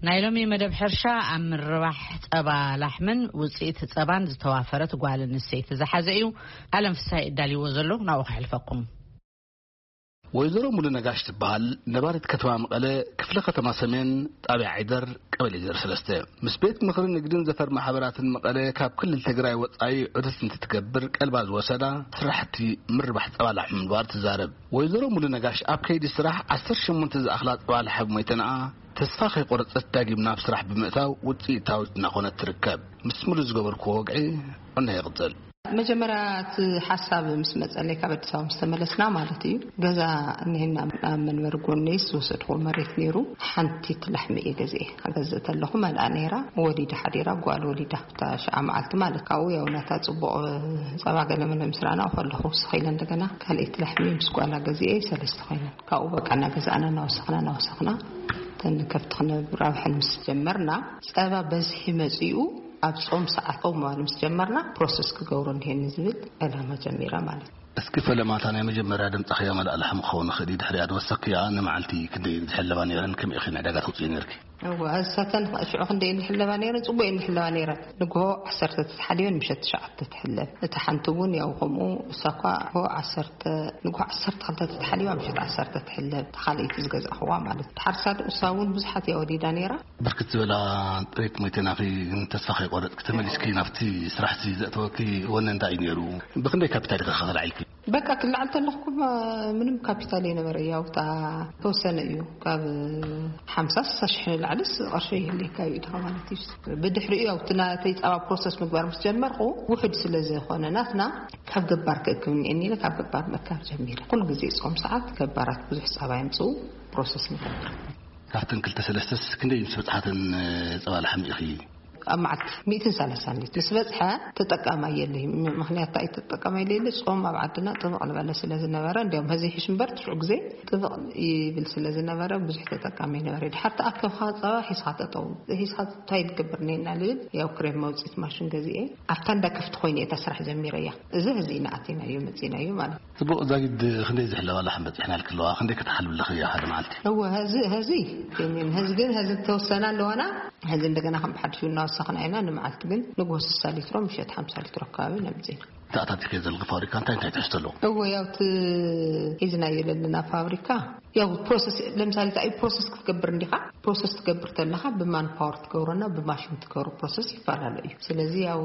ናይ ሎሚ መደብ ሕርሻ ኣብ ምርባሕ ጸባ ላሕምን ውጽኢት ጸባን ዝተዋፈረት ጓል ኣንስተይቲ ዝሓዘ እዩ። ኣለም ፍስሃ ይዳልዎ ዘሎ ናብኡ ከሕልፈኩም። ወይዘሮ ሙሉ ነጋሽ ትበሃል። ነባሪት ከተማ መቐለ፣ ክፍለ ከተማ ሰሜን፣ ጣብያ ዓይደር፣ ቀበሌ ዜሮ ሰለስተ። ምስ ቤት ምኽሪ ንግድን ዘፈር ማሕበራትን መቐለ ካብ ክልል ትግራይ ወጻኢ ዑደት እንትትገብር ቀልባ ዝወሰዳ ስራሕቲ ምርባሕ ጸባ ላሕሚ ምንባር ትዛረብ። ወይዘሮ ሙሉ ነጋሽ ኣብ ከይዲ ስራሕ ዓሰርተ ሸሞንተ ዝኣኽላ ጸባ ላሕሚ ሞይተንኣ ተስፋ ከይቆረጸት ዳግም ናብ ስራሕ ብምእታው ውጽኢታዊት እናኾነት ትርከብ። ምስ ሙሉ ዝገበርኩዎ ወግዒ እነሆ ይቕጽል። መጀመርያ እቲ ሓሳብ ምስ መጸለይ ካብ ኣዲስ ኣበባ ምስ ተመለስና ማለት እዩ፣ ገዛ እኒሄና ኣብ መንበሪ ጎነይስ ዝወሰድኩዎ መሬት ነይሩ። ሓንቲ ላሕሚ እየ ገዚኤ። ገዝእ ተለኹ መልኣ ነይራ፣ ወሊዳ ሓዲራ፣ ጓል ወሊዳ። እታ ሽዓ መዓልቲ ማለት ካብኡ ያው ናታ ጽቡቕ ጸባ ገለ መለ ምስ ረኣና ከለኹ ወስኽ ኢለ እንደገና ካልኣይቲ ላሕሚ ምስ ጓላ ገዚኤ ሰለስተ ኮይነን። ካብኡ በቃ እናገዛእና እናወሰኽና እናወሰኽና እተን ከብቲ ክነራብሐን ምስ ጀመርና ጸባ በዝሒ መጺኡ ኣብ ጾም ሰዓት ጾም ማለት ምስ ጀመርና ፕሮሰስ ክገብሮ እንዲሄኒ ዝብል ዕላማ ጀሚራ ማለት እዩ። እስኪ ፈለማታ ናይ መጀመርያ ደምጻኽያ መልኣ ላሕሚ ክኸውን ይኽእል እዩ። ድሕሪኣ ዝወሰኽክያ ንመዓልቲ ክንደይ ዝሕለባ ነይረን? ከመይ ኢኺ ንዕዳጋ ተውፅኢ ነይርኪ? እወ፣ እሳተን ሽዑ ክንደይ እንሕለባ ነይረን? ጽቡቅ እንሕለባ ነይረን። ንግሆ ዓሰርተ ተተሓልዮን ምሸት ትሽዓተ ትሕለብ። እታ ሓንቲ እውን ያው ከምኡ፣ እሳ እኳ ንግሆ ዓሰርተ፣ ንግሆ ዓሰርተ ክልተ ተተሓሊባ ምሸት ዓሰርተ ትሕለብ። እታ ካልኣይቲ ዝገዛእኽዋ ማለት እዩ። ድሓር ሳድ እሳ እውን ብዙሓት እያ ወሊዳ ነይራ። ብርክት ዝበላ ጥሪት ሞይተናኺ ግን ተስፋ ከይቆረጽኪ ተመሊስኪ ናብቲ ስራሕቲ ዘእተወኪ ወነ እንታይ እዩ ነይሩ? ብኽንደይ ካፒታል ኢኺ ከልዓልኪ? በቃ ክልዓል ተለኹ እኮ ምንም ካፒታል የነበረ። ያው እታ ተወሰነ እዩ። ካብ ሓምሳ ስሳ ሽሕ ንላዕልስ ቅርሺ ይህልየካ እዩ ኢኻ ማለት እዩ። ብድሕሪኡ ያው እቲ ናተይ ጸባ ፕሮሰስ ምግባር ምስ ጀመርኩ ውሑድ ስለ ዝኾነ ናትና ካብ ገባር ክእክብ እኒኤኒ ኢለ ካብ ገባር ምእካብ ጀሚረ። ኩሉ ግዜ ጾም ሰዓት ገባራት ብዙሕ ጸባ የምጽኡ ፕሮሰስ ንገብር። ካብተን ክልተ ሰለስተስ ክንደይ ምስ በጽሓተን ጸባ ላሕሚ ኢኺ? ኣብ መዓልቲ ሚእትን ሰላሳን ሊትር ምስ በጽሐ ተጠቃማይ የለይ። ም-፣ ምኽንያት እንታይ ተጠቃማይ የለይ? ጾም ኣብ ዓድና ጥብቕ ዝበለ ስለ ዝነበረ፣ እንዲያውም ሀዚ ሒሽ እምበር ትሽዑ ግዜ ጥብቕ ይብል ስለ ዝነበረ ብዙሕ ተጠቃሚ ነበረ። ድሓር ተኣከብካ ጸባ ሒዝካ ጠጠው፣ ሒዝካ እንታይ ትገብር እኒኤና ልብል፣ ያው ክሬም መውጽኢት ማሽን ገዚኤ ኣብታ እንዳ ከፍቲ ኮይነ እየ እታ ስራሕ ጀሚረያ። እዚ ሀዚ ኢና ኣቲናዮ መጺናዮ ማለት እዩ። ጽቡቕ ዛጊድ ክንደይ ዝሕለባ ላሕም በጺሕና ኢልኪ ኣለዋ? ክንደይ ከተሓልቢ ኣለኺ እያ ሓደ መዓልቲ? እወ፣ ሀዚ፣ ሀዚ፣ ጀሚን፣ ሀዚ ግን፣ ሀዚ ተወሰና ኣለዋና። ሀዚ እንደገና ከም ብሓድሽ እናወሰኽና ኢና። ንመዓልቲ ግን ንግሆ ስሳ ሊትሮ፣ ምሸት ሓምሳ ሊትሮ ኣከባቢ ነምጽእ ኢና። ተኣታቲከ ዘለኺ ፋብሪካ እንታይ እንታይ ትሕዝቶ ኣለዎ? እወ፣ ያው እቲ ሒዝናዮ ዘለና ፋብሪካ፣ ያው ፕሮሰስ፣ ለምሳሌ፣ እንታይ ፕሮሰስ ክትገብር እንዲኻ? ፕሮሰስ ትገብር ተለኻ ብማን ፓወር ትገብሮና ብማሽን ትገብሮ ፕሮሰስ ይፈላለ እዩ። ስለዚ ያው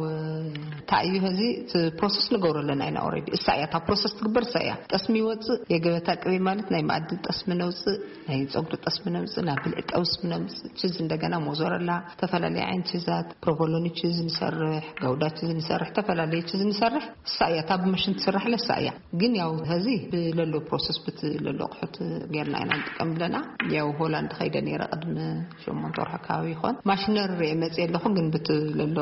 እንታይ እዩ ሀዚ እቲ ፕሮሰስ ንገብሮ ኣለና ኢና ኦልሬዲ። እሳ እያ እታ ፕሮሰስ ትግበር፣ እሳ እያ። ጠስሚ ይወፅእ፣ የገበታ ቅቤ ማለት ናይ መኣዲ ጠስሚ ነውፅእ፣ ናይ ፀጉሪ ጠስሚ ነውፅእ፣ ናይ ብልዒ ጠስሚ ነውፅእ፣ ችዝ እንደገና ሞዞረላ፣ ዝተፈላለዩ ዓይነት ችዛት፣ ፕሮቮሎኒ ችዝ ንሰርሕ፣ ጋውዳ ችዝ ንሰርሕ፣ ዝተፈላለዩ ችዝ ንሰርሕ። እሳ እያ እታ ብማሽን ትስራሕ፣ ለሳ እያ። ግን ያው ሀዚ ብለሎ ፕሮሰስ ብትለሎ ኣቑሑት ጌርና ኢና ንጥቀም ብለና። ያው ሆላንድ ኸይደ ነይረ ቅድሚ ሸሞንተ ወርሒ ኣከባቢ ይኾን። ማሽነሪ ርኤ መፅእ ኣለኹ፣ ግን ብትለሎ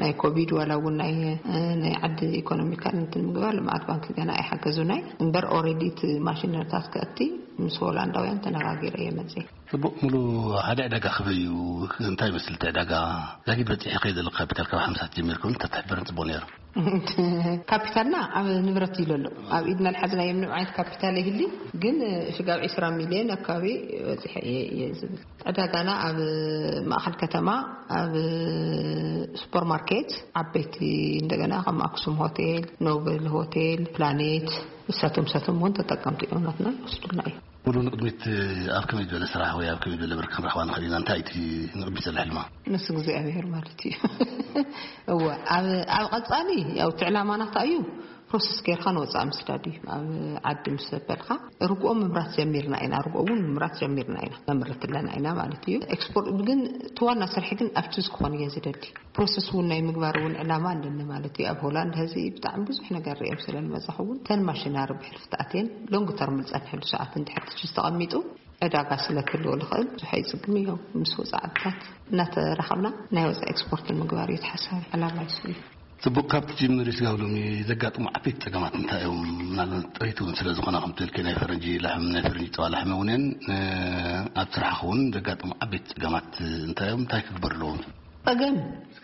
ናይ ኮቪድ ዋላ እውን ናይ፣ እ፣ ናይ ዓዲ ኢኮኖሚካል እንትን ምግባር ልምዓት ባንክ ገና ኣይሓገዙናይ። እምበር ኦልሬዲ እቲ ማሽነሪታት ከእቲ ምስ ሆላንዳውያን ተነጋጊረ እየ መፅእ። ጽቡቕ፣ ሙሉ ሓደ ዕዳጋ ክበዩ እንታይ ይመስል እቲ ዕዳጋ? ዛጊድ በጺሑ ከይ ዘለካ ካፒታል ካብ ሓምሳ ጀሚርኩም እንተትሕብርን ጽቡቕ ነይሩ። ካፒታልና ኣብ ንብረት እዩ ዘሎ። ኣብ ኢድና ልሓዝናዮ ምንም ዓይነት ካፒታል የህሊ፣ ግን ሽጋብ ዒስራ ሚልዮን ኣካባቢ በጺሐ እየ፣ እየ ዝብል። ዕዳጋና ኣብ ማእኸል ከተማ፣ ኣብ ሱፐርማርኬት፣ ዓበይቲ እንደገና ከም ኣክሱም ሆቴል፣ ኖብል ሆቴል፣ ፕላኔት፣ ንሳቶም ንሳቶም እውን ተጠቀምቲ እዮም ናትና ይወስዱልና እዮም። ሙሉ ንቕድሚት ኣብ ከመይ ዝበለ ስራሕ ወይ ኣብ ከመይ ዝበለ ብር ክንረኽባ ንኽእል ኢና? እንታይ እቲ ንቕድሚት ዘሎ ሕልማ? ምስ እግዚኣብሔር ማለት እዩ። እወ፣ ኣብ፣ ኣብ ቀጻሊ ያው እቲ ዕላማና እንታይ እዩ? ፕሮሰስ ጌርካ ንወጻኢ ምስዳድ እዩ። ኣብ ዓዲ ምስ ዘበልካ ርግኦ ምምራት ጀሚርና ኢና፣ ርግኦ እውን ምምራት ጀሚርና ኢና፣ ነምርት ኣለና ኢና ማለት እዩ። ኤክስፖርት ግን እቲ ዋና ስርሒ ግን ኣብ ችዝ ክኾን እየ ዝደሊ። ፕሮሰስ እውን ናይ ምግባር እውን ዕላማ ኣለኒ ማለት እዩ። ኣብ ሆላንድ ሀዚ ብጣዕሚ ብዙሕ ነገር ሪኦም ስለ ዝመጻኹ እውን ተን ማሽናሪ ብሕልፊ ተኣትየን ሎንግ ተርም ዝጸንሐሉ ሰዓት እንድሕር ትችዝ ተቐሚጡ ዕዳጋ ስለ ክህልዎ ዝኽእል ብዙሕ ኣይጽግም እዮም ምስ ወጻኢ ዓድታት እናተራኸብና ናይ ወጻኢ ኤክስፖርት ንምግባር እዩ ተሓሳቢ ዕላማ ይሱ እዩ። ጽቡቕ፣ ካብ ትጅምሪ ስጋብ ሎሚ ዘጋጥሙ ዓበይቲ ጸገማት እንታይ እዮም? ምናልባት ጥሪት እውን ስለ ዝኾነ ከምቲ ኢልኪ ናይ ፈረንጂ ላሕም ናይ ፈረንጂ ጸባ ላሕሚ እውን እየን። ኣብ ስራሕኺ እውን ዘጋጥሙ ዓበይቲ ጸገማት እንታይ እዮም? እንታይ ክግበር ኣለዎም? ጸገም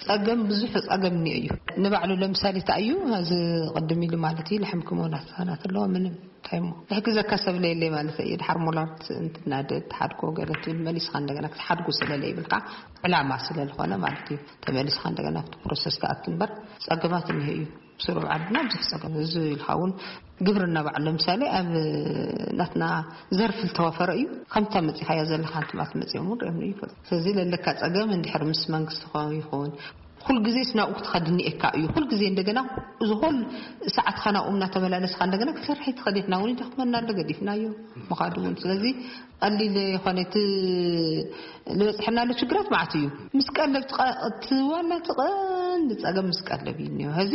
ጸገም ብዙሕ ጸገም እኒኦ እዩ። ንባዕሉ ለምሳሌ እንታይ እዩ፣ እዚ ቅድም ኢሉ ማለት እዩ፣ ልሕም ክመውናት ህጻናት ኣለዎ፣ ምንም እንታይ እሞ ዝሕግዘካ ሰብ ለየለይ ማለት እዩ። ድሓር ሞላርት እንትናደድ ትሓድጎ ገለ ትብል፣ መሊስካ እንደገና ክትሓድጉ ስለለይብልካ፣ ዕላማ ስለዝኾነ ማለት እዩ፣ ተመሊስካ እንደገና ኣብቲ ፕሮሰስ ትኣቱ እምበር፣ ጸገማት እኒኦ እዩ። ስሩብ ዓድና ብዙሕ ጸገም፣ እዚ ኢልካ እውን ግብርና ባዕሉ ለምሳሌ ኣብ ናትና ዘርፊ ዝተዋፈረ እዩ። ከምታ መጺኻያ ዘለኻ ኣንትማት መጺኦም እውን ሪኦም ይፈልጡ። ስለዚ ለለካ ጸገም እንድሕር ምስ መንግስቲ ኾ- ይኹን፣ ኩል ግዜ ናብኡ ክትኸድ እኒኤካ እዩ። ኩል ግዜ እንደገና እዚ ኩል ሰዓትካ ናብኡ እናተመላለስካ እንደገና ክትሰርሕ ትኸድ። ንሕና እውን ይደኽመና ኣሎ፣ ገዲፍናዮ ምኻድ እውን። ስለዚ ቀሊል ይኾነ እቲ ዝበፅሐና ኣሎ ችግራት ማለት እዩ። ምስ ቀለብ ትቐ- እቲ ዋና እቲ ቀንዲ ጸገም ምስ ቀለብ እዩ እኒኦ። ሕዚ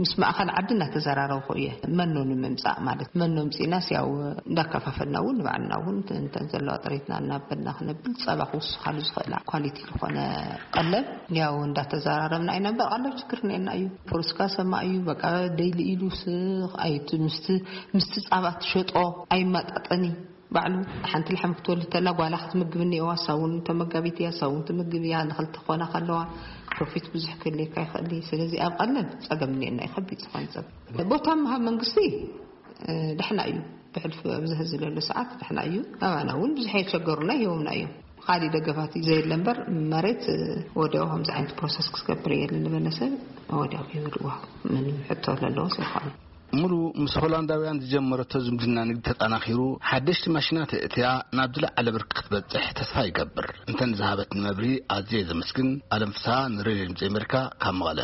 ምስ ማእኸል ዓዲ እናተዘራረብኩ እየ። መኖ ንምምጻእ ማለት መኖ ምጺእናስ ያው እንዳከፋፈልና እውን ንባዕልና እውን እንተን ዘለዋ ጥሪትና እናበልና ክነብል ጸባ ክውስኻሉ ዝኽእል ኳሊቲ ዝኾነ ቀለብ ያው እንዳተዘራረብና ኢና። እምበር ቀለብ ችግር እኒኤና እዩ። ፖለቲካ ሰማ እዩ። በቃ ደይሊ ኢሉ ስ- ኣይት- ምስቲ ምስቲ ጻባ ትሸጦ ኣይመጣጠኒ ባዕሉ። ሓንቲ ልሓም ክትወልድ ተላ ጓላ ክትምግብ እኒኤዋ፣ ሳውን ተመጋቢት እያ፣ ሳውን ትምግብ እያ። ንክልተ ኮና ከለዋ ፕሮፊት ብዙሕ ክህልየካ ይኽእል እዩ። ስለዚ ኣብ ቀለብ ጸገም እኒኤና እዩ፣ ከቢድ ዝኾነ ጸገም። ቦታ ምሃብ መንግስቲ እ፣ ደሕና እዩ። ብሕልፊ ኣብዚ ሕዚ ዘሎ ሰዓት ደሕና እዩ። ኣባና እውን ብዙሕ የቸገሩና ይህቦምና እዮም። ካሊእ ደገፋት እዩ ዘየለ እምበር መሬት እ፣ ወዲያው ከምዚ ዓይነት ፕሮሰስ ክትገብር እየ ዝበለ ሰብ ወዲያው ይህብዋ። ምንም ሕቶ ዘለዎ ሰብ ይኾነ። ሙሉ ምስ ሆላንዳውያን ዝጀመረቶ ዝምድና ንግዲ ተጠናኺሩ ሓደሽቲ ማሽናት እትያ ናብ ዝለዓለ ብርኪ ክትበፅሕ ተስፋ ይገብር። እንተን ዝሃበትኒ መብርሂ ኣዝየ ዘመስግን። ኣለም ፍስሃ ንሬድዮ ድምፂ ኣሜሪካ ካብ መቐለ።